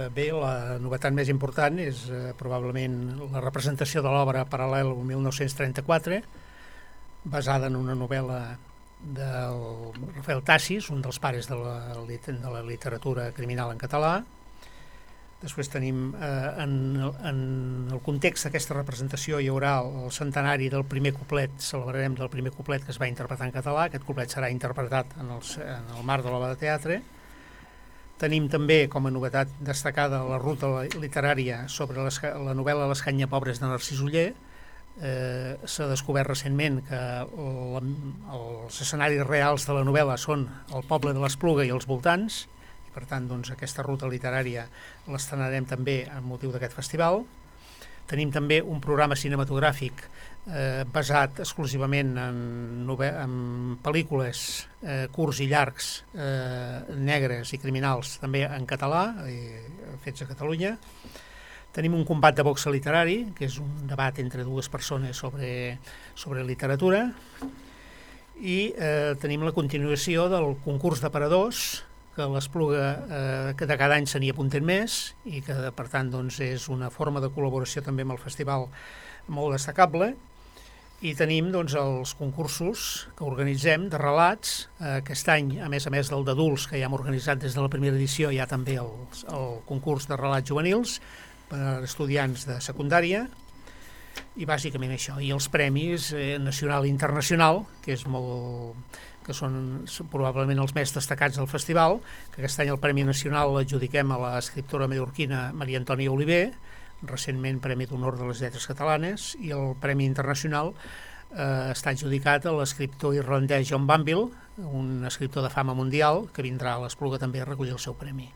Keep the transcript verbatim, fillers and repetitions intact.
Bé, la novetat més important és eh, probablement la representació de l'obra Paral·lel mil nou-cents trenta-quatre, basada en una novel·la del Rafael Tassis, un dels pares de la, de la literatura criminal en català. Després tenim, eh, en, en el context d'aquesta representació hi haurà el centenari del primer couplet, celebrarem del primer couplet que es va interpretar en català. Aquest couplet serà interpretat en el, en el marc de l'obra de teatre. Tenim també, com a novetat destacada, la ruta literària sobre les, la novel·la Les canyes pobres de Narcís Oller. Eh, s'ha descobert recentment que la, els escenaris reals de la novel·la són el poble de l'Espluga i els voltants, i per tant doncs, aquesta ruta literària l'estrenarem també amb motiu d'aquest festival. Tenim també un programa cinematogràfic eh, basat exclusivament en, en pel·lícules eh, curts i llargs, eh, negres i criminals, també en català, eh, fets a Catalunya. Tenim un combat de boxa literari, que és un debat entre dues persones sobre, sobre literatura. I eh, tenim la continuació del concurs d'aparadors, que l'Espluga eh, que de cada any se n'hi apunten més i que per tant doncs, és una forma de col·laboració també amb el festival molt destacable. I tenim doncs, els concursos que organitzem de relats. Eh, aquest any, a més a més del d'adults que ja hem organitzat des de la primera edició, hi ha també el, el concurs de relats juvenils per a estudiants de secundària, i bàsicament això, i els premis eh, nacional i internacional, que és molt que són, són probablement els més destacats del festival, que aquest any el Premi Nacional l'adjudiquem a l'escriptora mallorquina Maria Antònia Oliver, recentment Premi d'Honor de les Lletres Catalanes, i el Premi Internacional eh, està adjudicat a l'escriptor irlandès John Banville, un escriptor de fama mundial, que vindrà a l'Espluga també a recollir el seu premi.